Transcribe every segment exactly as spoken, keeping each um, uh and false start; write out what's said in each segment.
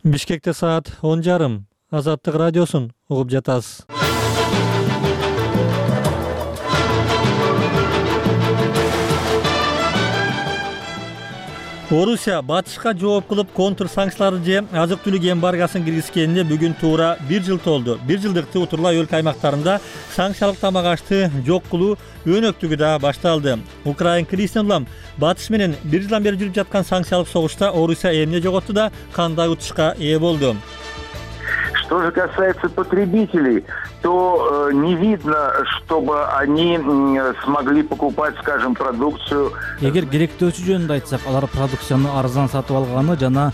Бишкекте саат он жарым. Азаттык радиосун угуп жатасыз. Орусия батышка жооп кылып контр санкцияларды же азык-түлүк эмбаргосын киргизгенине бүгүн туура бир жыл толду. Бир жылдыкты утурлай өлкө аймактарында санкциялык тамак ашты жок кылуу өнөктүгү да башталды. Украин кризисинен улам батыш менен бир жылдан бери жүрүп жаткан санкциялык согушта Орусия эмне жоготту да кандай утушка ээ болду? Что же касается потребителей, то э, не видно, чтобы они э, смогли покупать, скажем, продукцию. Эгер керектөөсү жөнүндө айтсак, алар продукцияны арзан сатып алганы жана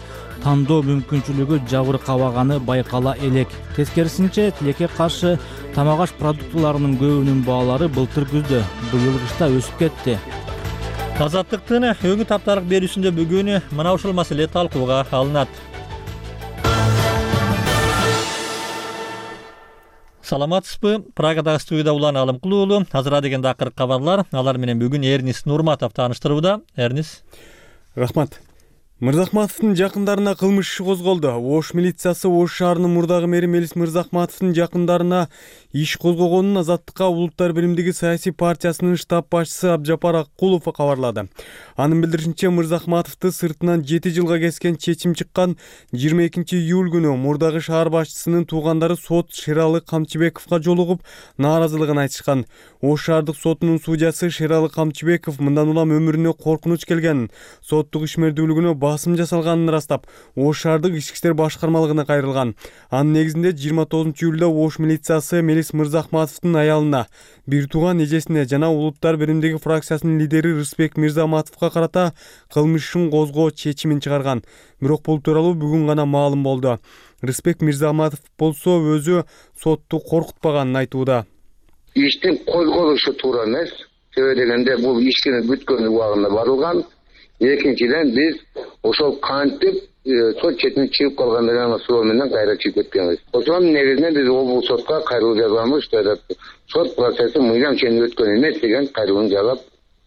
тандоо мүмкүнчүлүгү жабыркабаганы байкала элек. Тескерисинче, тилекке каршы тамак аш продуктыларынын көбүнүн баалары былтыр күздө, быйыл кышта өсүп кетти. Азаттыктын өңү таптарык берүүсүндө бүгүн мына ушул маселе талкууга алынат. Саламатсызбы? Прагадагы студияда Улан Алымкулуу уулу. Азыр дегенде акыркы кабарлар. Алар менен бүгүн Эрнис Нурматов тааныштырууда. Эрнис. Рахмат. Мырзахматовдун жакындарына кылмыш иши козголду. Ош милициясы Ош шаарынын мурдагы мэри Мелис Мырзахматовдун жакындарына иш козгогонун Азаттыкка Улуттар биримдиги саясий партиясынын штаб башчысы Абжапар Аккулов кабарлады. Анын билдиришинче, Мырзахматовду сыртынан жети жылга кескен чечим чыккан жыйырма экинчи июль күнү мурдагы шаар башчысынын туугандары сот Шералы Камчыбековго жолугуп нааразылыгын айтышкан. Ош шаардык сотунун судьясы Шералы Камчыбеков мындан улам өмүрүнө коркунуч келгенин, соттук ишмердүүлүгүнө басым жасалганын ырастап, Ош шаардык ички иштер башкармалыгына кайрылган. Анын негизинде жыйырма тогузунчу июлда Ош милициясы Мелис Мырзахматовдун аялына, бир тууган эжесине жана Улуттар биримдиги фракциясынын лидери Рыспек Мирзаматовго карата кылмыш ишин козгоо чечимин чыгарган. Бирок бул тууралуу бүгүн гана маалым болду. Рыспек Мирзаматов болсо өзү сотту коркутпаганын айтууда. Иштин козголушу туура эмес. Себеби дегенде бул ишкини бүткөн убагында барылган. Экинчиден биз ошол кантип сот четине чыгып калган деген суроо менен кайра чыгып кеткенбиз. Ошонун негизинде биз облус сотко кайрылуу жазганбыз, что сот процесси мыйзам ченинде өткөн эмес деген кайрылууну жазап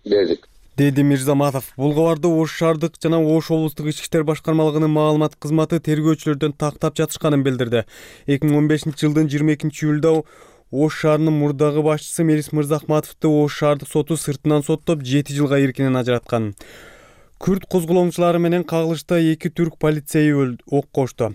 бердик, деди Мирзаматов. Бул кабарды Ош шаардык жана Ош облустук ички иштер башкармалыгынын маалымат кызматы тергөөчүлөрдөн тактап жатышканын билдирди. эки миң он бешинчи жылдын жыйырма экинчи июлда Ош шаарынын мурдагы башчысы Мелис Мырзахматовду Ош шаардык соту сыртынан соттоп жети жылга эркинен ажыраткан. Күрд козголоңчулары менен кагылышта эки түрк полицейи ок кошту.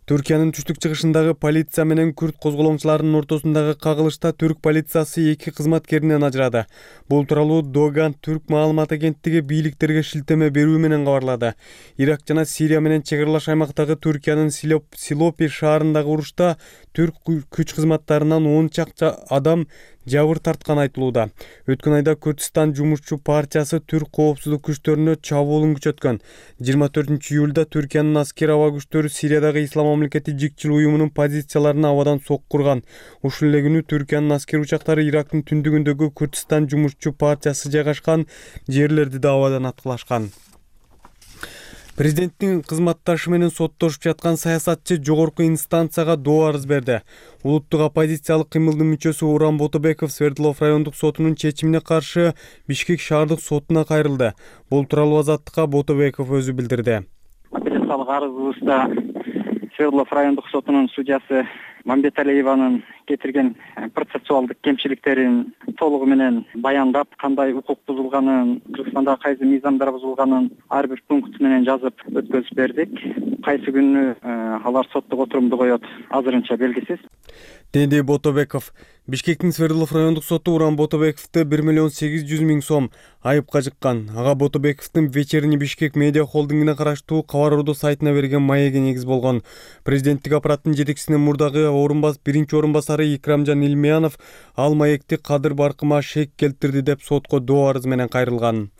Түркиянын түштүк-чыгышындагы полиция менен күрд козголоңчуларынын ортосундагы кагылышта түрк полициясы эки кызматкеринен ажырады. Бул тууралуу Доган түрк маалымат агенттиги бийликтерге шилтеме берүү менен кабарлады. Ирак жана Сирия менен чек аралаш аймактагы Түркиянын Силопи шаарындагы урушта түрк күч кызматтарынан он чакты адам жабыр тарткан айтылууда. Өткөн айда Күрдистан жумушчу партиясы түрк коопсуздук күчтөрүнө чабуулун күчөткөн. жыйырма төртүнчү июлда Түркиянын аскер аба күчтөрү Сириядагы Ислам мамлекети жикчил уюмунун позицияларына абадан соккурган. Ушул эле күнү Түркиянын аскер учактары Ирактын түндүгүндөгү Күрдистан жумушчу партиясы жайгашкан жерлерди да абадан аткылашкан. Президенттин кызматташы менен соттошуп жаткан саясатчы жогорку инстанцияга доо арыз берди. Улуттук оппозициялык кыймылдын мүчөсү Уран Ботобеков Свердлов райондук сотунун чечимине каршы Бишкек шаардык сотуна кайрылды. Бул тууралуу Азаттыкка Ботобеков өзү билдирди. Апелляциялык арызыбызда Свердлов райондук сотунун судьясы Мамбеталиеванын кетирген процессуалдык кемчиликтерин толугу менен баяндап, кандай укук бузулганын, Кыргызстанда кайсы мыйзамдар бузулганын ар бир пункт менен жазып өткөзүп бердик. Кайсы күнү алар соттук отурумду коет, азырынча белгисиз, деди Ботобеков. Бишкектин Свердлов райондук соту Уран Ботобековду бир миллион сегиз жүз миң сом айыпка жыккан. Ага Ботобековдун Вечерний Бишкек медиа холдингине караштуу Кабар Орду сайтына берген маеги негиз болгон. Президенттик аппараттын жетекчисинин мурдагы орунбас биринчи орун басары Икрамжан Илмиянов ал маекти Кадыр Баркыма шек келтирди деп сотко доо арыз менен кайрылган.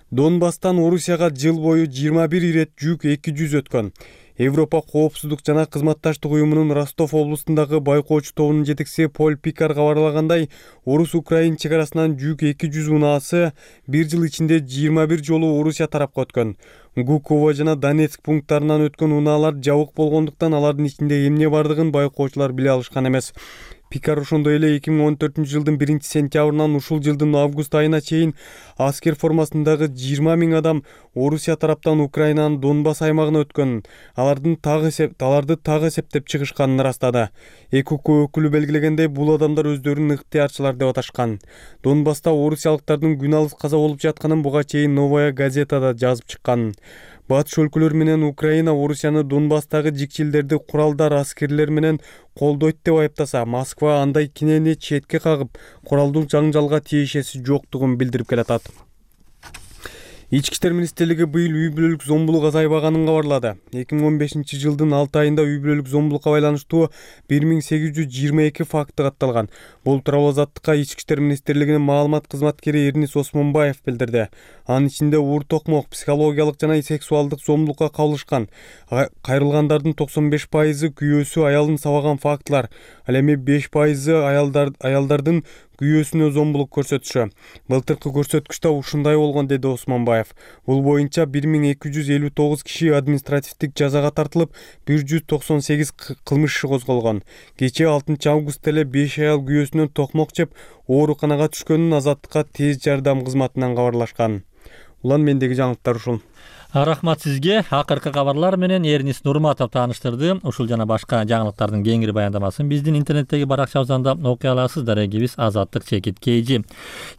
Донбасстан Орусияга жыл бою жыйырма бир ирет жүк эки жүз өткөн. Европа коопсуздук жана кызматташтык уюмунун Ростов облустундагы байкоочу тобунун жетекчиси Поль Пикар кабарлагандай, Орус-Украин чек арасынан жүк эки жүз унаасы бир жыл ичинде жыйырма бир жолу Орусия тарапка өткөн. Гуково жана Донецк пункттарынан өткөн унаалар жабык болгондуктан алардын ичинде эмне бардыгын байкоочулар биле алышкан эмес. Пикар ошондой эле эки миң он төртүнчү жылдын биринчи сентябрынан ушул жылдын август айына чейин аскер формасындагы жыйырма миң адам Орусия тараптан Украинанын Донбасс аймагына өткөнүн, алардын тагы аларды тагы эсептеп чыгышканын ырастады. Эки укук өкүлү белгилегендей, бул адамдар өздөрүн ыктыярчылар деп аташкан. Донбасста орусиялыктардын күн алыс каза болуп жатканын буга чейин Новая газетада жазып чыккан. Батыш өлкөлөр менен Украина Орусияны Донбасстагы жикчилдерди куралдар, аскерлер менен колдойт деп айыптаса, Москва андай кинени четке кагып, куралдуу жаңжалга тиешеси жоктугун билдирип келатат. Ички иштер министрлиги быйыл үй бүлөлүк зомбулук азайбаганын кабарлады. эки миң он бешинчи жылдын алты айында үй бүлөлүк зомбулукка байланыштуу бир миң сегиз жүз жыйырма эки факты катталган. Бул тууралуу Азаттыкка Ички иштер министрлигинин маалымат кызматкери Эрнис Осмонбаев билдирди. Анын ичинде уур токмок, психологиялык жана сексуалдык зомбулукка кабылышкан. Кайрылгандардын токсон беш пайызы күйөөсү аялын сабаган фактылар, ал эми беш пайызы аялдар аялдардын күйөөсүнө зомбулук көрсөтүшү. Былтыркы көрсөткүч да ушундай болгон, деди Осмонбаев. Бул боюнча бир миң эки жүз элүү тогуз киши административдик жазага тартылып, бир жүз токсон сегиз кылмыш иши козголгон. Кечээ алтынчы августта эле беш аял күйөөсүнөн токмок жеп ооруканага түшкөнүн Азаттыкка тез жардам кызматынан кабарлашкан. Улан, мендеги жаңылыктар ушул. Рахмат сизге. Акыркы кабарлар менен Эрнис Нурматов тааныштырды. Ушул жана башка жаңылыктардын кеңири баяндамасын биздин интернеттеги баракчабыздан да окуй аласыздар. Эгибиз Азаттык чекит kg.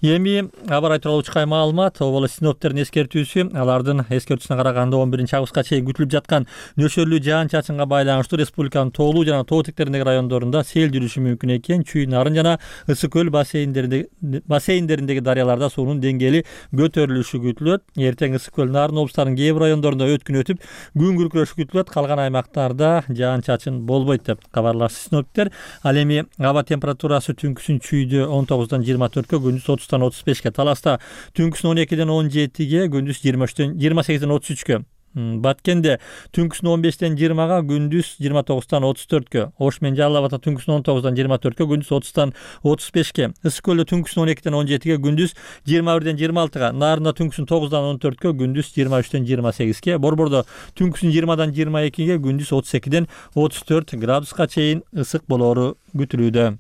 Эми аба айтылып чыккан маалымат, оболо синоптиктердин эскертүүсү, алардын эскертүүсүнө караганда он биринчи августка чейин күтүлүп жаткан нөшөрлүү жаан-чачынга байланыштуу республиканын тоолуу жана тоо тектериндеги райондорунда сел жүрүшү мүмкүн экен. Чүй нарын жана Ысык көл бассейндеринде бассейндериндеги дарыяларда суунун деңгээли көтөрүлүшү күтүлөт. Эртең Ысык көл нарын облустарынын кээ бир райондорунда өткүн өтүп, күн күркүрөшү күтүлөт. Калган аймактарда жаан-чачын болбойт деп кабарлашты синоптиктер. Ал эми аба температурасы түнкүсүн чүйдө он тогуздан жыйырма төрткө, күндүз отуздан отуз бешке, Таласта түнкүсүн он экиден он жетиге, күндүз жыйырма үчтөн жыйырма сегизден отуз үчкө. Баткенде түнкүсүн он бештен жыйырмага, күндүз жыйырма тогуздан отуз төрткө. Ош менен Жалал Абадта түнкүсүн он тогуздан жыйырма төрткө, күндүз отуздан отуз бешке. Ысык көлдө түнкүсүн он экиден он жетиге, күндүз жыйырма бирден жыйырма алтыга. Нарында түнкүсүн тогуздан он төрткө, күндүз жыйырма үчтөн жыйырма сегизге. Борбордо түнкүсүн жыйырмадан жыйырма экиге, күндүз отуз экиден отуз төрт градуска чейин ысык болоору күтүлүүдө.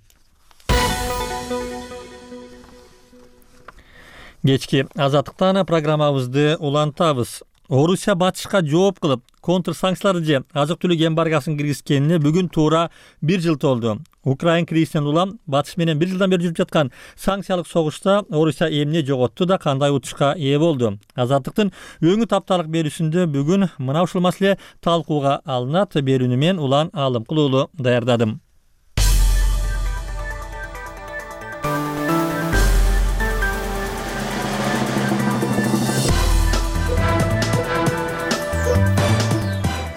Кечки Азаттыктан программабызды улантабыз. Орусия батышка жооп кылып, контр санкцияларды же азык-түлүк эмбаргосын киргизгенине бүгүн туура бир жыл толду. Украин кризисинен улам батыш менен бир жылдан бери жүрүп жаткан санкциялык согушта Орусия эмне жоготту да кандай утушка ээ болду? Азаттыктын өңү тапталык берүүсүндө бүгүн мына ушул маселе талкууга алынат. Берүүнү мен Улан Алымкулуулу даярдадым.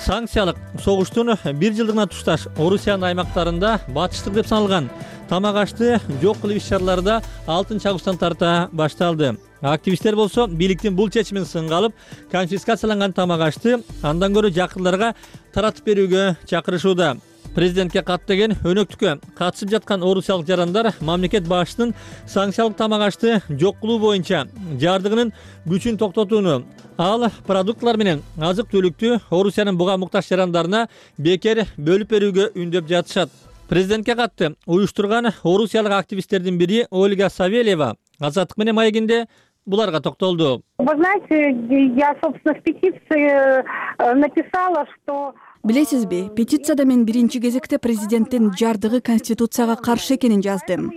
Санкциялык согуштун бир жылдыгына тушташ Орусиянын аймактарында батыштык деп саналган тамак ашты жок кылып иш-чараларда алтынчы августтан тарта башталды. Активисттер болсо бийликтин бул чечимин сынга алып, конфискацияланган тамак ашты андан көрө жакындарга таратып берүүгө чакырышууда. Президентке кат деген өнөктүккө катышып жаткан орусиялык жарандар мамлекет башчысынын санкциялык тамак ашты жок кылуу боюнча жардыгынын күчүн токтотууну, ал продуктлар менен азык-түлүктү Орусиянын буга муктаж жарандарына бекер бөлүп берүүгө үндөп жатышат. Президентке катты уюштурган орусиялык активисттердин бири Ольга Савельева Азаттык менен маегинде буларга токтолду. Вы знаете, я, собственно, в петиции написала, что... Билесизби, петицияда мен биринчи кезекте президенттин жардыгы конституцияга каршы экенин жаздым.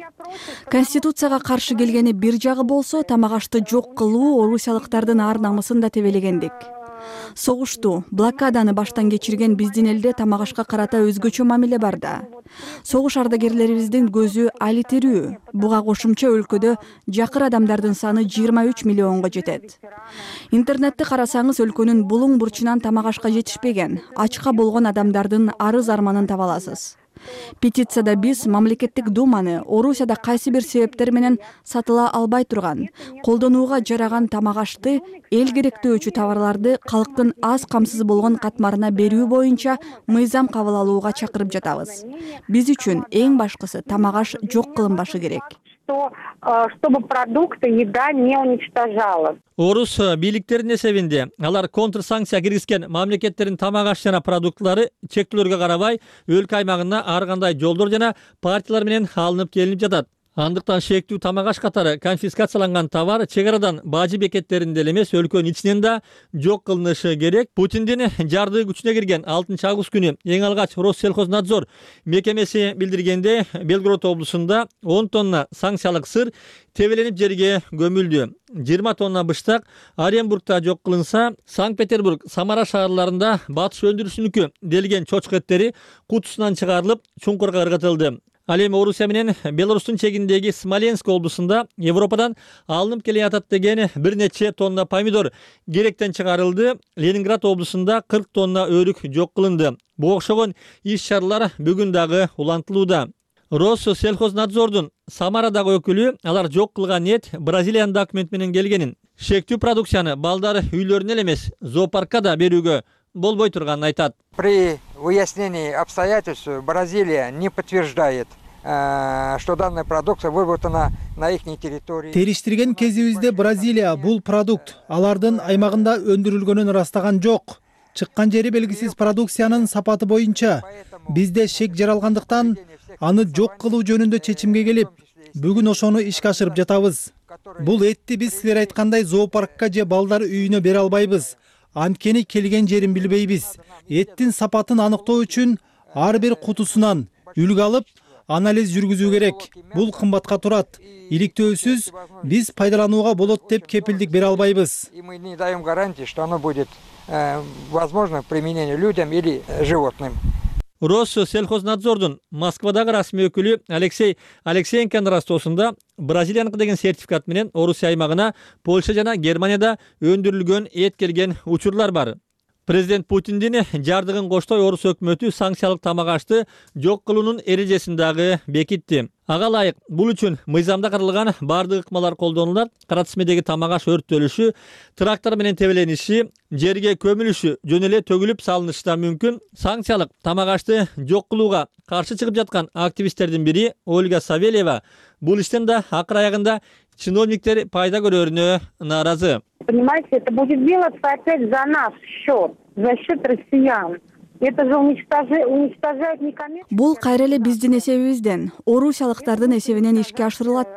Конституцияга каршы келгени бир жагы болсо, тамак ашты жок кылуу орусиялыктардын ар намысын да тебелегендик. Согушту, блокаданы баштан кечирген биздин элде тамак ашка карата өзгөчө мамиле бар да. Согуш ардагерлерибиздин көзү али тирүү. Буга кошумча өлкөдө жакыр адамдардын саны жыйырма үч миллионго жетет. Интернетти карасаңыз өлкөнүн булуң бурчунан тамак ашка жетишпеген, ачка болгон адамдардын арыз арманын таба аласыз. Петицияда биз мамлекеттик думаны Орусияда кайсы бир себептер менен сатыла албай турган, колдонууга жараган тамак ашты, эл керектөөчү товарларды калктын аз камсыз болгон катмарына берүү боюнча мыйзам кабыл алууга чакырып жатабыз. Биз үчүн эң башкысы тамак аш жок кылынбашы керек. что чтобы продукты, еда не уничтожалась. Орус бийликтеринин эсебинде алар контрсанкция киргизген мамлекеттердин тамак аш жана продуктулары чектөөлөргө карабай өлкө аймагына ар кандай жолдор жана партиялар менен алынып келинип жатат. Андыктан шектүү тамак аш катары конфискацияланган товар чек арадан бажы бекеттеринде эле эмес, өлкөнүн ичинен да жок кылынышы керек. Путиндин жардыгы күчүнө кирген алтынчы август күнү эң алгач Россельхознадзор мекемеси билдиргенде Белгород облусунда он тонна санкциялык сыр тебеленип жерге көмүлдү. жыйырма тонна быштак Оренбургда жок кылынса, Санкт-Петербург, Самара шаарларында батыш өндүрүшүнүкү делген чочко эттери кутусунан чыгарылып, чуңкурга ыргытылды. Ал эми Орусия менен Беларустун чегиндеги Смоленск облусунда Европадан алынып келе жатат деген бир нече тонна помидор керектен чыгарылды. Ленинград облусунда кырк тонна өрүк жок кылынды. Буга окшогон иш-чаралар бүгүн дагы улантылууда. Россельхознадзордун Самарадагы өкүлү алар жок кылган эт Бразилиянын документ менен келгенин, шектүү продукцияны балдар үйлөрүнө эле эмес, зоопаркка да берүүгө болбой турганын айтат. При выяснении обстоятельств Бразилия не подтверждает, что данная продукция выработана на их территории. Териштирген кезибизде Бразилия бул продукт алардын аймагында өндүрүлгөнүн ырастаган жок. Чыккан жери белгисиз продукциянын сапаты боюнча бизде шек жаралгандыктан аны жок кылуу жөнүндө чечимге келип, бүгүн ошону ишке ашырып жатабыз. Бул этти биз силер айткандай зоопаркка же балдар үйүнө бере албайбыз. Анткени келген жерин билбейбиз. Эттин сапатын аныктоо үчүн ар бир кутусунан үлгү алып, анализ жүргүзүү керек. Бул кымбатка турат. Иликтөөсүз биз пайдаланууга болот деп кепилдик бере албайбыз. И мы не даем гарантии, что оно будет возможно к применению людям или животным. Россельхознадзордун Москвадагы расмий өкүлү Алексей Алексеенконун растоосунда Бразилияныкы деген сертификат менен Орусия аймагына Польша жана Германияда өндүрүлгөн эт келген учурлар бар. Президент Путиндин жардыгын коштой Орус өкмөтү санкциялык тамак ашты жок кылуунун эрежесин дагы бекитти. Ага ылайык бул үчүн мыйзамда каралган бардык ыкмалар колдонулат. Каратисмедеги тамак аш өрттөлүшү, трактор менен тебелениши, жерге көмүлүшү жөн эле төгүлүп салынышы да мүмкүн. Санкциялык тамак ашты жок кылууга каршы чыгып жаткан активисттердин бири Ольга Савельева бул иштен да акыр аягында чиновниктер пайда көрөрүнө нааразы. Понимаете, это будет делаться опять за наш счет, за счет россиян. Это же уничтожает некоммерческое. Бул кайра эле биздин эсебибизден, орусиялыктардын эсебинен ишке ашырылат.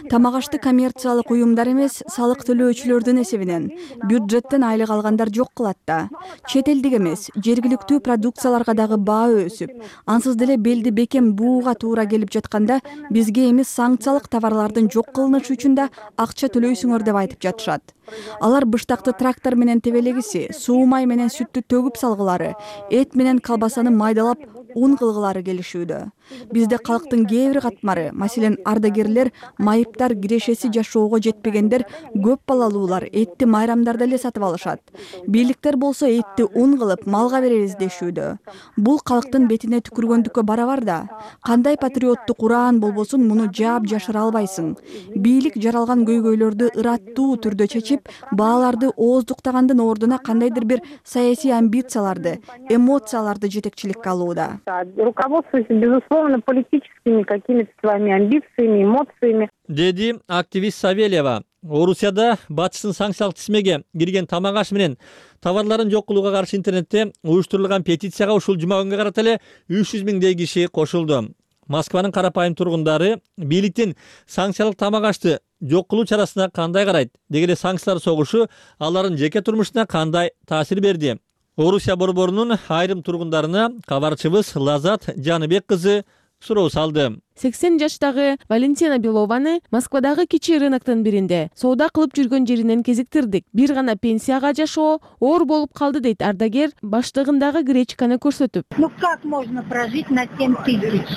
Тамак ашты коммерциялык уюмдар эмес, салык төлөөчүлөрдүн эсебинен, бюджеттен айлык алгандар жок кылат да. Чет элдик эмес, жергиликтүү продукцияларга дагы баа өсүп, ансыз деле белди бекем бууга туура келип жатканда бизге эми санкциялык товарлардын жок кылынышы үчүн да акча төлөйсүңөр деп айтып жатышат. Алар быштакты трактор менен тебелегиси, суу май менен сүттү төгүп салгылары, эт менен колбасаны майдалап ун кылгылары келишүүдө. Бизде калктын кээ бир катмары, маселен ардагерлер, майыптар, кирешеси жашоого жетпегендер, көп балалуулар этти майрамдарда эле сатып алышат. Бийликтер болсо этти ун кылып малга беребиз дешүүдө. Бул калктын бетине түкүргөндүккө барабар да. Кандай патриоттук ураан болбосун муну жаап жашыра албайсың. Бийлик жаралган көйгөйлөрдү ыраттуу түрдө чечип, бааларды ооздуктагандын ордуна кандайдыр бир саясий амбицияларды, эмоцияларды жетекчиликке алууда. Руководствуясь, безусловно, политическими какими-то своими амбициями, эмоциями. Деди активист Савельева. Орусияда батыштын санкциялык тизмеге кирген тамак аш менен товарларын жок кылууга каршы интернетте уюштурулган петицияга ушул жума күнгө карата эле үч жүз миңдей киши кошулду. Москванын карапайым тургундары бийликтин санкциялык тамак ашты жок кылуу чарасына кандай карайт, деги эле санкциялар согушу алардын жеке турмушуна кандай таасир берди? Орусия борборунун айрым тургундарына кабарчыбыз Лазат Жаныбек кызы суроо салды. сексен жаштагы Валентина Белованы Москвадагы кичи рыноктун биринде соода кылып жүргөн жеринен кезиктирдик. Бир гана пенсияга жашоо оор болуп калды дейт ардагер, баштыгындагы гречканы көрсөтүп. Ну как можно прожить на семь тысяч?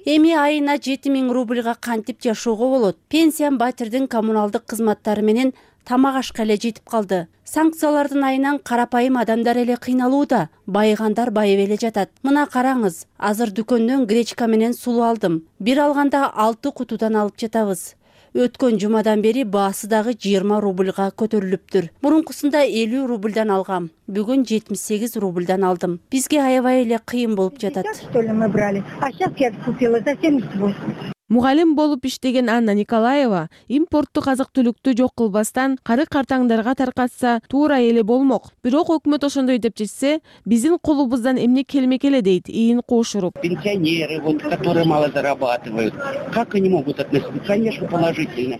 Эми айына жети миң рубльга кантип жашоого болот? Пенсиям батирдин коммуналдык кызматтары менен тамак ашка эле жетип калды. Санкциялардын айынан карапайым адамдар эле кыйналууда. Байыгандар байып эле жатат. Мына караңыз, азыр дүкөндөн гречка менен сулуу алдым. Бир алганда алты кутудан алып жатабыз. Өткөн жумадан бери баасы дагы жыйырма рубльга көтөрүлүптүр. Мурункусунда элүү рубльдан алгам. Бүгүн жетимиш сегиз рубльдан алдым. Бизге аябай эле кыйын болуп жатат. Что ли мы брали? А сейчас я купила за семьдесят восемь. Мугалим болуп иштеген Анна Николаева импорттук азык түлүктү жок кылбастан кары картаңдарга таркатса туура эле болмок. Бирок өкмөт ошондой деп чечсе, биздин колубуздан эмне келмек эле дейт Ийин Кошуруп. Пенсионеры, вот, которые мало зарабатывают, как они могут относиться? Конечно, положительно.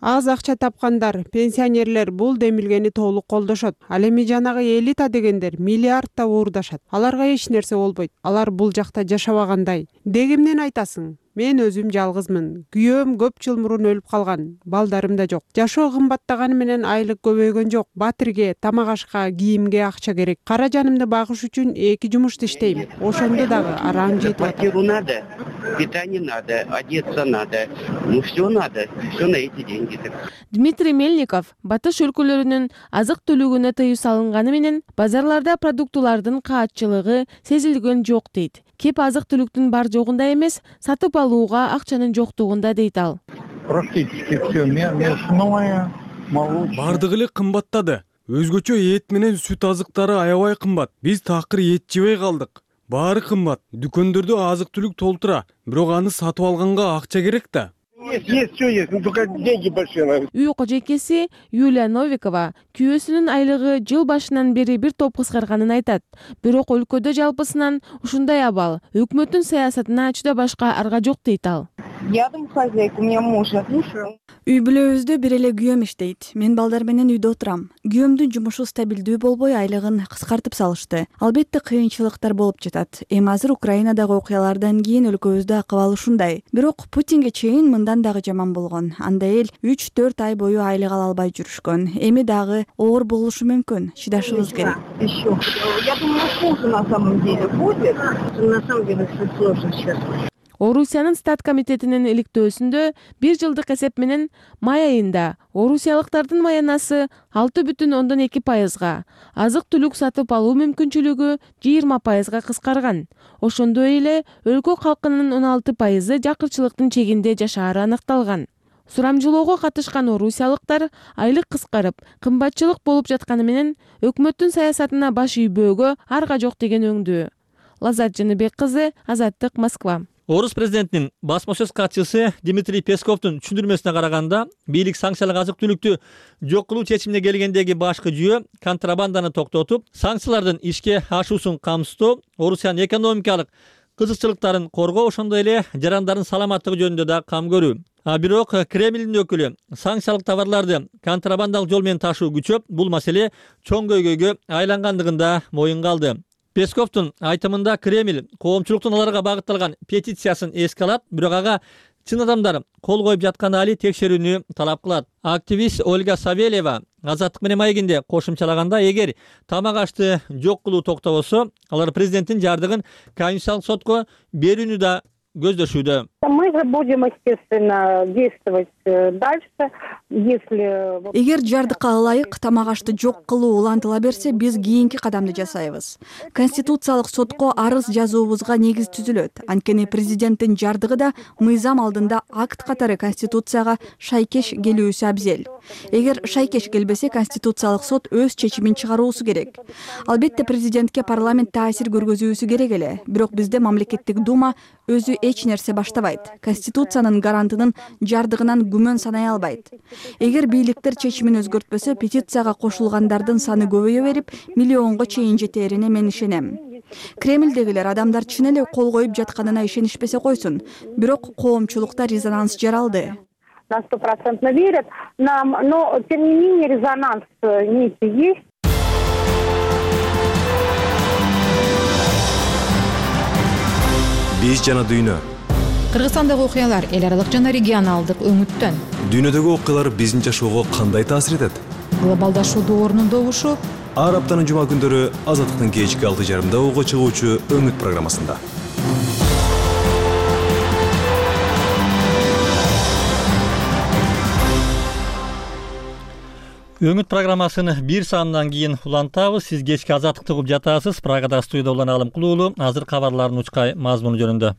Аз акча тапкандар, пенсионерлер бул демилгени толук колдошот. Ал эми жанагы элита дегендер миллиардта уурдашат. Аларга эч нерсе болбойт. Алар бул жакта жашабагандай. Дегимден айтасың? Мен өзүм жалгызмын. Күйөөм көп жыл мурун өлүп калган. Балдарым да жок. Жашоо кымбаттаганы менен айлык көбөйгөн жок. Батирге, тамак ашка, кийимге акча керек. Кара жанымды багыш үчүн эки жумушта иштейм. Ошондо дагы араң жетип атат. Квартиру надо, питание надо, одеться надо. Ну все надо, все на эти деньги. Дмитрий Мельников батыш өлкөлөрүнүн азык түлүгүнө тыюу салынганы менен базарларда продуктулардын каатчылыгы сезилген жок дейт. Кеп азык түлүктүн бар жогунда эмес, сатып алууга акчанын жоктугунда дейт ал. Практически все мясное, молочное. Бардыгы эле кымбаттады. Өзгөчө эт менен сүт азыктары аябай кымбат. Биз такыр эт жебей калдык. Баары кымбат. Дүкөндөрдө азык түлүк толтура, бирок аны сатып алганга акча керек да. Есть, есть, все есть, но только деньги большие. Үй кожойкеси Юлия Новикова күйөөсүнүн айлыгы жыл башынан бери бир топ кыскарганын айтат. Бирок өлкөдө жалпысынан ушундай абал. Өкмөттүн саясатына ачууда башка арга жок дейт ал. Я дом хозяйка, у меня муж отлучил. Үй бүлөбүздө бир эле күйөөм иштейт. Мен балдар менен үйдө отурам. Күйөөмдүн жумушу стабилдүү болбой айлыгын кыскартып салышты. Албетте кыйынчылыктар болуп жатат. Эми азыр Украинадагы окуялардан кийин өлкөбүздө акыбал ушундай. Бирок Путинге чейин мындан дагы жаман болгон. Анда эл үч төрт ай бою айлык ала албай жүрүшкөн. Эми дагы оор болушу мүмкүн. Чыдашыбыз керек. Еще. Я думаю, хуже на самом деле будет. На самом деле все сложно сейчас. Орусиянын стат комитетинин иликтөөсүндө бир жылдык эсеп менен май айында орусиялыктардын маянасы алты бүтүн ондон эки пайызга, азык түлүк сатып алуу мүмкүнчүлүгү жыйырма пайызга кыскарган. Ошондой эле өлкө калкынын он алты пайызы жакырчылыктын чегинде жашаары аныкталган. Сурамжылоого катышкан орусиялыктар айлык кыскарып, кымбатчылык болуп жатканы менен өкмөттүн саясатына баш ийбөөгө арга жок деген өңдүү. Лазат Жаныбек кызы, Азаттык, Москва. Орус президентинин басма сөз катчысы Дмитрий Песковдун түшүндүрмөсүнө караганда, бийлик санкциялык азык түлүктү жок кылуу чечимине келгендеги башкы жүйө контрабанданы токтотуп, санкциялардын ишке ашуусун камсыздоо, Орусиянын экономикалык кызыкчылыктарын коргоо, ошондой эле жарандардын саламаттыгы жөнүндө да кам көрүү. А бирок Кремлдин өкүлү санкциялык товарларды контрабандалык жол менен ташуу күчөп, бул маселе чоң көйгөйгө айлангандыгын да моюнга алды. Песковдун айтымында Кремль коомчулуктун аларга багытталган петициясын эске алат, бирок ага чын адамдар кол коюп жатканы али текшерүүнү талап кылат. Активист Ольга Савельева Азаттык менен маегинде кошумчалаганда, эгер тамак ашты жок кылуу токтобосо, алар президенттин жардыгын Конституциялык сотко берүүнү да көздөшүүдө. Мы же будем, естественно, действовать дальше, если... Эгер жардыкка ылайык тамак ашты жок кылуу улантыла берсе, биз кийинки кадамды жасайбыз. Конституциялык сотко арыз жазуубузга негиз түзүлөт. Анткени президенттин жардыгы да мыйзам алдында акт катары Конституцияга шайкеш келүүсү абзел. Эгер шайкеш келбесе, Конституциялык сот өз чечимин чыгаруусу керек. Албетте президентке парламент таасир көргөзүүсү керек эле. Бирок бизде мамлекеттик дума өзү эч нерсе баштабайт. Конституциянын гарантынын жардыгынан күмөн санай албайт. Эгер бийликтер чечимин өзгөртпөсө, петицияга кошулгандардын саны көбөйө берип, миллионго чейин жетерине мен ишенем. Кремлдегилер адамдар чын эле кол коюп жатканына ишенишпесе койсун, бирок коомчулукта резонанс жаралды. На стопроцентно верят, но тем не менее резонанс некий есть. Биз жана дүйнө. Кыргызстандагы окуялар эл аралык жана регионалдык өңүттөн. Дүйнөдөгү окуялар биздин жашоого кандай таасир этет? Глобалдашуу доорунун добушу. Ар аптанын жума күндөрү Азаттыктын кечки алты жарымда уга чыгуучу Өңүт программасында. Өңүт программасын бир саамдан кийин улантабыз. Сиз кечки Азаттыкты угуп жатасыз. Прагада студияда улан Алым Кулуулу. Азыр кабарлардын учкай мазмуну жөнүндө.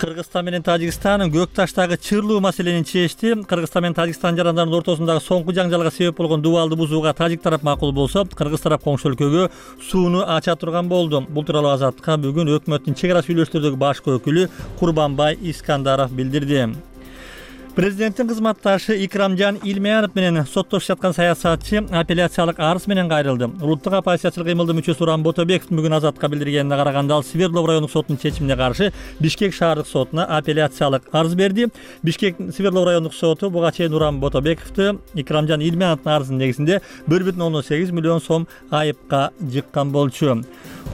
Кыргызстан менен Тажикстан көк таштагы чырлуу маселени чечти. Кыргызстан менен Тажикстан жарандарынын ортосундагы соңку жаңжалга себеп болгон дубалды бузууга тажик тарап макул болсо, кыргыз тарап коңшу өлкөгө сууну ача турган болду. Бул тууралуу Азаттыкка бүгүн өкмөттүн чек ара сүйлөштөрдөгү башкы өкүлү Курбанбай Искандаров билдирди. Президенттин кызматташы Икрамжан Илмеянов менен соттошуп жаткан саясатчы апелляциялык арыз менен кайрылды. Улуттук оппозициячылык кыймылдын мүчөсү Уран Ботобеков бүгүн Азаттыкка билдиргенине караганда, ал Свердлов райондук соттун чечимине каршы Бишкек шаардык сотуна апелляциялык арыз берди. Бишкек Свердлов райондук соту буга чейин Уран Ботобековду Икрамжан Илмеяновдун арызынын негизинде бир бүтүн ондон сегиз миллион сом айыпка жыккан болчу.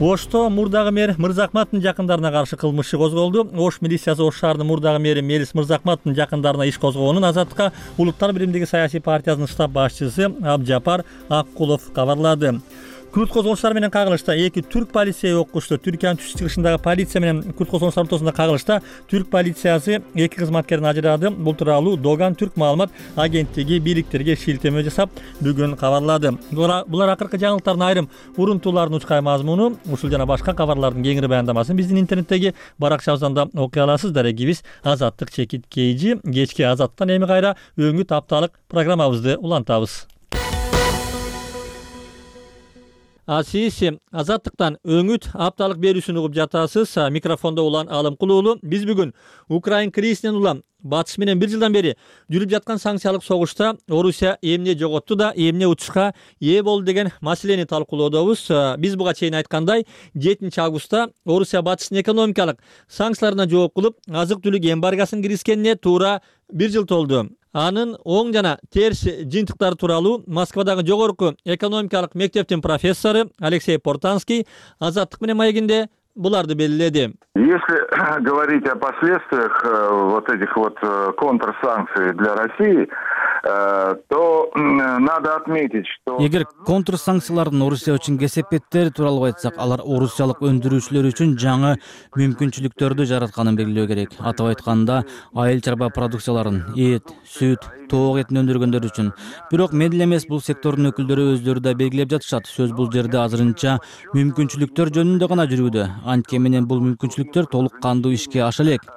Ошто мурдагы мэр Мырзакматовдун жакындарына каршы кылмыш иши козголду. Ош милициясы Ош шаарынын мурдагы мэри Мелис Мырзакматовдун жакындарына иш козгоонун Азаттыкка Улуттар биримдиги саясий партиясынын штаб башчысы Абжапар Аккулов кабарлады. Күрт козголуштар менен кагылышта эки түрк полиция окушту. Түркиянын түш чыгышындагы полиция менен күрт козголуштар ортосунда кагылышта түрк полициясы эки кызматкерин ажырады. Бул тууралуу Доган Түрк маалымат агенттиги бийликтерге шилтеме жасап бүгүн кабарлады. Булар акыркы жаңылыктардын айрым урунтууларынын учкай мазмуну. Ушул жана башка кабарлардын кеңири баяндамасын биздин интернеттеги баракчабыздан да окуй аласыз. Дарегибиз Азаттык чекит кейжи. Кечки Азаттыктан эми кайра өңүт апталык программабызды улантабыз. Асиси Азаттыктан өңүт апталык берүүсүн угуп жатасыз. Микрофондо Улан Алымкулуулу. Биз бүгүн Украин кризисинен улам батыш менен бир жылдан бери жүрүп жаткан санкциялык согушта Орусия эмне жоготту да эмне утушка ээ болду деген маселени талкуулоодобуз. Биз буга чейин айткандай, жетинчи августта Орусия батыштын экономикалык санкцияларына жооп кылып, азык-түлүк эмбаргосын киргизгенине туура бир жыл толду. Анын оң жана терс жыйынтыктары тууралуу Москвадагы жогорку экономикалык мектептин профессору Алексей Портанский Азаттык менен маегинде буларды белгиледи. Если говорить о последствиях вот этих вот контрсанкций для России, то надо отметить, что... Эгер контрсанкциялардын Орусия үчүн кесепеттери тууралуу айтсак, алар орусиялык өндүрүүчүлөр үчүн жаңы мүмкүнчүлүктөрдү жаратканын белгилөө керек. Атап айтканда, айыл чарба продукцияларын, эт, сүт, тоок этин өндүргөндөр үчүн. Бирок мен эле эмес, бул сектордун өкүлдөрү өздөрү да белгилеп жатышат. Сөз бул жерде азырынча мүмкүнчүлүктөр жөнүндө гана жүрүүдө. Анткени менен бул мүмкүнчүлүктөр толук кандуу ишке аша элек.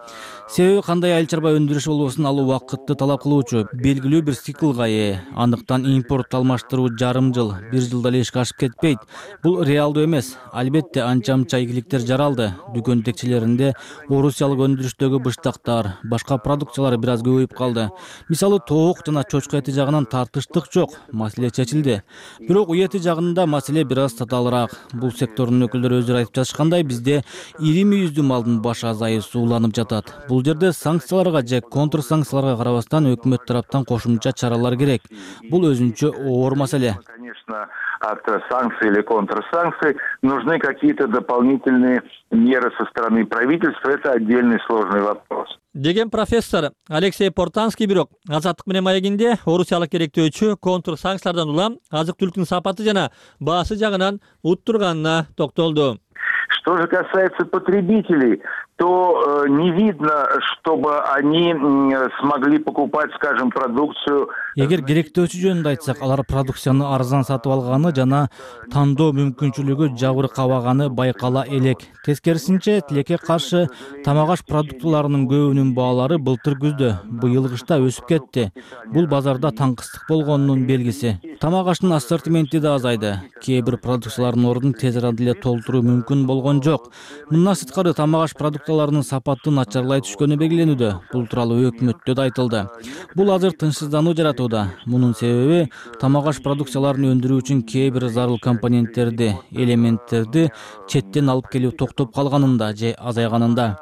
Себеби кандай айыл чарба өндүрүш болбосун, ал убакытты талап кылуучу, белгилүү бир циклга ээ. Андыктан импорт алмаштыруу жарым жыл, бир жылда эле ишке ашып кетпейт. Бул реалдуу эмес. Албетте анча-мынча ийгиликтер жаралды. Дүкөн текчелеринде орусиялык өндүрүштөгү быштактар, башка продукциялар бир аз көбөйүп калды. Мисалы, тоок жана чочко эти жагынан тартыштык жок, маселе чечилди. Бирок үй эти жагында маселе бир аз татаалыраак. Бул сектордун өкүлдөрү өздөрү айтып жатышкандай, бизде ири мүйүздүү малдын баш азайысы уланып жатат. Бул жерде санкцияларга же контрсанкцияларга карабастан өкмөт тараптан кошумча чаралар керек. Бул өзүнчө оор маселе. Конечно, от санкций или контрсанкций нужны какие-то дополнительные меры со стороны правительства. Это отдельный сложный вопрос. Деген профессор Алексей Портанский бирок Азаттык менен маегинде орусиялык керектөөчү контрсанкциялардан улам азык-түлүктүн сапаты жана баасы жагынан уттурганына токтолду. Что же касается потребителей, то э, не видно, чтобы они э, смогли покупать, скажем, продукцию. Эгер керектөөчү жөнүндө айтсак, алар продукцияны арзан сатып алганы жана тандоо мүмкүнчүлүгү жабыркабаганы байкала элек. Тескерисинче, тилекке каршы тамак аш продуктыларынын көбүнүн баалары былтыр күздө, быйыл кышта өсүп кетти. Бул базарда таңкыстык болгонунун белгиси. Тамак аштын ассортименти да азайды. Кээ бир продукциялардын ордун тез арада эле толтуруу мүмкүн болгон жок. Мындан сырткары тамак аш продукцияларынын сапаты начарлай түшкөнү белгиленүүдө. Бул тууралуу өкмөттө да айтылды. Бул азыр тынчсыздануу жаратууда. Мунун себеби тамак аш продукцияларын өндүрүү үчүн кээ бир зарыл компоненттерди, элементтерди четтен алып келүү токтоп калганында же азайганында.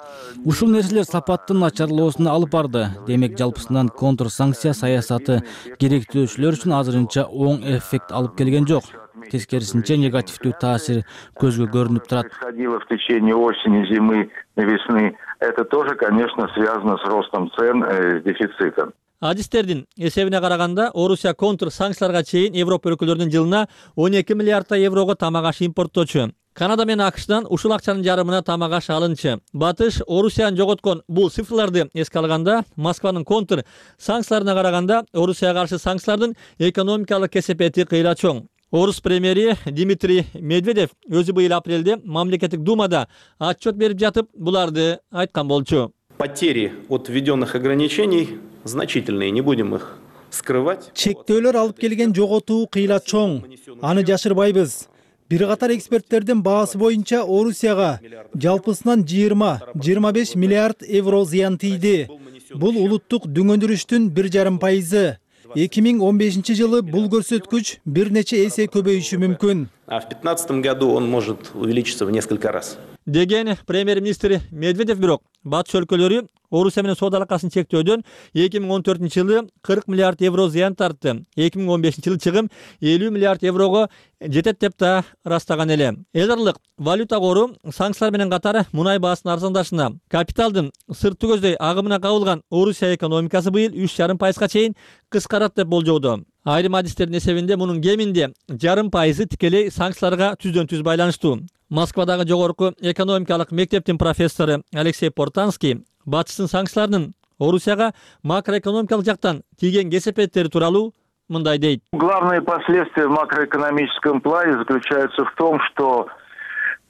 Ушул нерселер сапаттын начарлоосуна алып барды. Демек, жалпысынан контрсанкция саясаты керектөөчүлөр үчүн азырынча оң эффект алып келген жок. Тескерисинче, негативдүү таасир көзгө көрүнүп турат. Происходило в течение осени, зимы, весны. Это тоже, конечно, связано с ростом цен, э, с дефицитом. Адистердин эсебине караганда, Орусия контрсанкцияларга чейин Европа өлкөлөрүнүн жылына он эки миллиардтай еврого тамак аш импорттоочу. Канада менен АКШдан ушул акчанын жарымына тамак аш алынчы. Батыш Орусияны жоготкон бул цифрларды эске алганда, Москванын контр санкцияларына караганда Орусияга каршы санкциялардын экономикалык кесепети кыйла чоң. Орус премьери Дмитрий Медведев өзү быйыл апрелде мамлекеттик думада отчет берип жатып, буларды айткан болчу. Потери от введенных ограничений значительные, не будем их скрывать. Чектөөлөр алып келген жоготуу кыйла чоң. Аны жашырбайбыз. Бир катар эксперттердин баасы боюнча Орусияга жалпысынан жыйырма жыйырма беш миллиард евро зыян тийди. Бул улуттук дүңөндүрүштүн бир жарым пайызы. эки миң он бешинчи жылы бул көрсөткүч бир нече эсе көбөйүшү мүмкүн. А в пятнадцатом году он может увеличиться в несколько раз. Деген премьер-министр Медведев бирок батыш өлкөлөрү Орусия менен соода алакасын чектөөдөн эки миң он төртүнчү жылы кырк миллиард евро зыян тартты. эки миң он бешинчи жылы чыгым элүү миллиард еврого жетет деп да ырастаган эле. Эл аралык валюта кору санкциялар менен катар мунай баасынын арзандашына, капиталдын сыртты көздөй агымына кабылган Орусия экономикасы быйыл үч жарым пайызга чейин кыскарат деп болжоодо. Айрым адистердин эсебинде мунун кеминде жарым пайызы тикелей санкцияларга түздөн түз байланыштуу. Москвадагы жогорку экономикалык мектептин профессору Алексей Портанский батыштын санкцияларынын Орусияга макроэкономикалык жактан тийген кесепеттери тууралуу мындай дейт. Главные последствия в макроэкономическом плане заключаются в том, что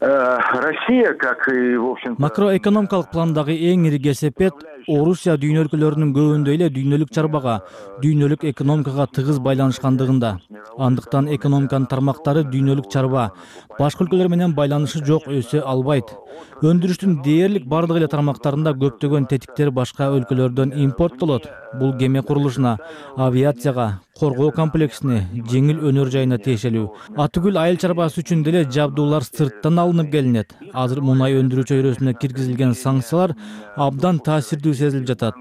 э, Россия, как и в общем-то... Макроэкономикалык пландагы эң ири кесепет Орусия дүйнө өлкөлөрүнүн көбүндө эле дүйнөлүк чарбага, дүйнөлүк экономикага тыгыз байланышкандыгында. Андыктан экономиканын тармактары дүйнөлүк чарба, башка өлкөлөр менен байланышы жок, өсө албайт. Өндүрүштүн дээрлик бардык эле тармактарында көптөгөн тетиктер башка өлкөлөрдөн импорттолот. Бул кеме курулушуна, авиацияга, коргоо комплексине, жеңил өнөр жайына тиешелүү. Атүгүл айыл чарбасы үчүн деле жабдуулар сырттан алынып келинет. Азыр мунай өндүрүү чөйрөсүнө киргизилген санкциялар абдан таасирдүү сезилип жатат.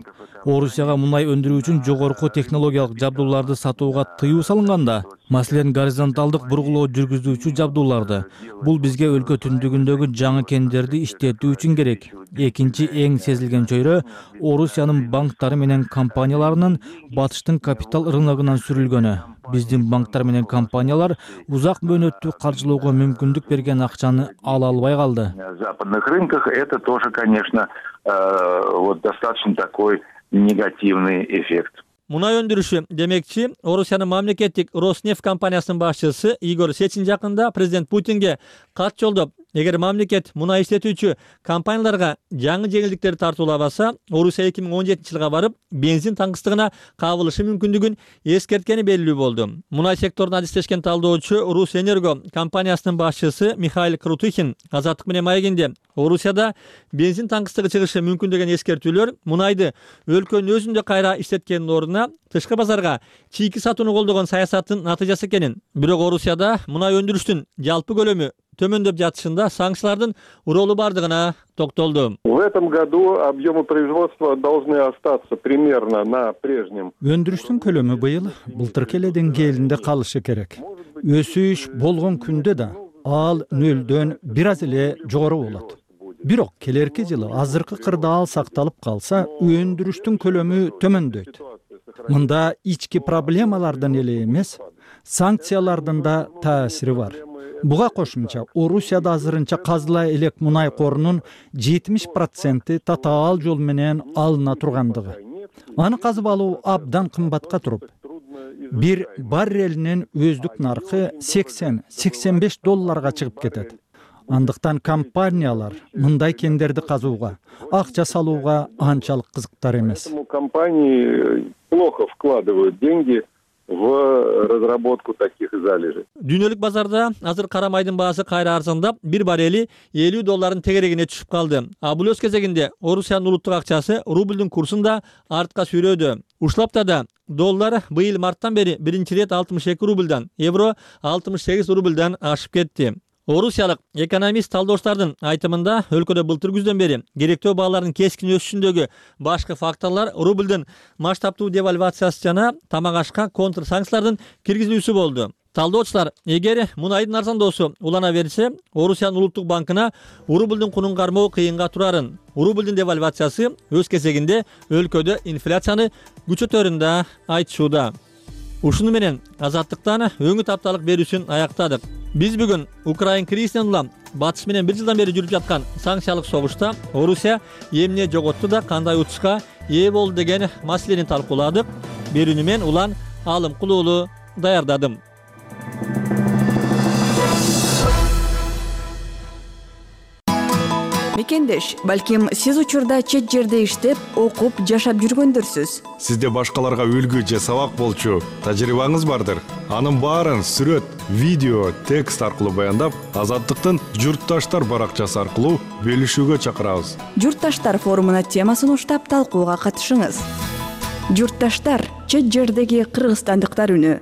Орусияга мунай өндүрүү үчүн жогорку технологиялык жабдууларды сатууга тыюу салынганда, маселен горизонталдык бургулоо жүргүзүүчү жабдууларды, бул бизге өлкө түндүгүндөгү жаңы кендерди иштетүү үчүн керек. Экинчи эң сезилген чөйрө Орусиянын банктары менен компанияларынын батыштын капитал рыногунан сүрүлгөнү. Биздин банктар менен компаниялар узак мөөнөттүү каржылоого мүмкүндүк берген акчаны ала албай калды. На западных рынках это тоже, конечно, вот достаточно такой негативный эффект. Мунай өндүрүшү демекчи, Орусиянын мамлекеттик Роснефть компаниясынын башчысы Игорь Сечин жакында президент Путинге кат жолдоп, эгер мамлекет мунай иштетүүчү компанияларга жаңы жеңилдиктерди тартуулабаса, Орусия эки миң он жетинчи жылга барып бензин таңкыстыгына кабылышы мүмкүндүгүн эскерткени белгилүү болду. Мунай секторуна адистешкен талдоочу Русэнерго компаниясынын башчысы Михаил Крутыхин Азаттык менен маегинде Орусияда бензин таңкыстыгы чыгышы мүмкүн деген эскертүүлөр мунайды өлкөнүн өзүндө кайра иштеткендин ордуна тышкы базарга чийки сатууну колдогон саясаттын натыйжасы экенин, бирок Орусияда мунай өндүрүштүн жалпы көлөмү төмөндөп жатышында санкциялардын ролу бардыгына токтолду. В этом году объемы производства должны остаться примерно на прежнем. Өндүрүштүн көлөмү быйыл былтыркы эле деңгээлинде калышы керек. Өсүш болгон күндө да ал нөлдөн бир аз эле жогору болот. Бирок келерки жылы азыркы кырдаал сакталып калса, өндүрүштүн көлөмү төмөндөйт. Мында ички проблемалардан эле эмес, санкциялардын да таасири бар. Буга кошумча Орусияда азырынча казыла элек мунай корунун жетимиш проценти татаал жол менен алына тургандыгы. Аны казып алуу абдан кымбатка туруп, бир баррелинин өздүк наркы сексен сексен беш долларга чыгып кетет. Андыктан компаниялар мындай кендерди казууга, акча салууга анчалык кызыктар эмес. Компании плохо вкладывают деньги в разработку таких залежей. Дүйнөлүк базарда азыр кара майдын баасы кайра арзандап, бир баррели элүү доллардын тегерегине түшүп калды. А бул өз кезегинде Орусиянын улуттук акчасы рублдун курсун да артка сүйрөдү. Ушул аптада доллар быйыл марттан бери биринчи ирет алтымыш эки рубльдан, евро алтымыш сегиз рубльдан ашып кетти. Орусиялык экономист талдооштардын айтымында өлкөдө былтыр күздөн бери керектөө баалардын кескин өсүшүндөгү башкы факторлор рублдун масштабтуу девальвациясы жана тамак ашка контр санкциялардын киргизилүүсү болду. Талдоочулар, эгер мунайдын арзандоосу улана берсе, Орусиянын улуттук банкына рублдун кунун кармоо кыйынга турарын. Рублдун девальвациясы өз кезегинде өлкөдө инфляцияны күчөтөрүн да айтышууда. Ушуну менен Азаттыктан өңүт апталык берүүсүн аяктадык. Биз бүгүн Украин кризисинен улам батыш менен бир жылдан бери жүрүп жаткан санкциялык согушта Орусия эмне жоготту да кандай утушка ээ болду деген маселени талкууладык. Берүүнү мен Улан Алымкул уулу даярдадым. Мекендеш, балким сиз учурда чет жерде иштеп, окуп, жашап жүргөндөрсүз. Сизде башкаларга үлгү же сабак болчу тажрыйбаңыз бардыр. Анын баарын сүрөт, видео, текст аркылуу баяндап, Азаттыктын Журтташтар баракчасы аркылуу бөлүшүүгө чакырабыз. Журтташтар форумуна темасын уштап талкууга катышыңыз. Журтташтар, чет жердеги кыргызстандыктар үнү.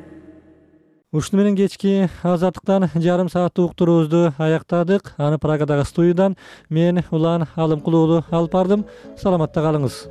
Ушуну менен кечки Азаттыктан жарым сааттык уктуруубузду аяктадык. Аны Прагадагы студиядан мен Улан Алымкулуу алып бардым. Саламатта калыңыз.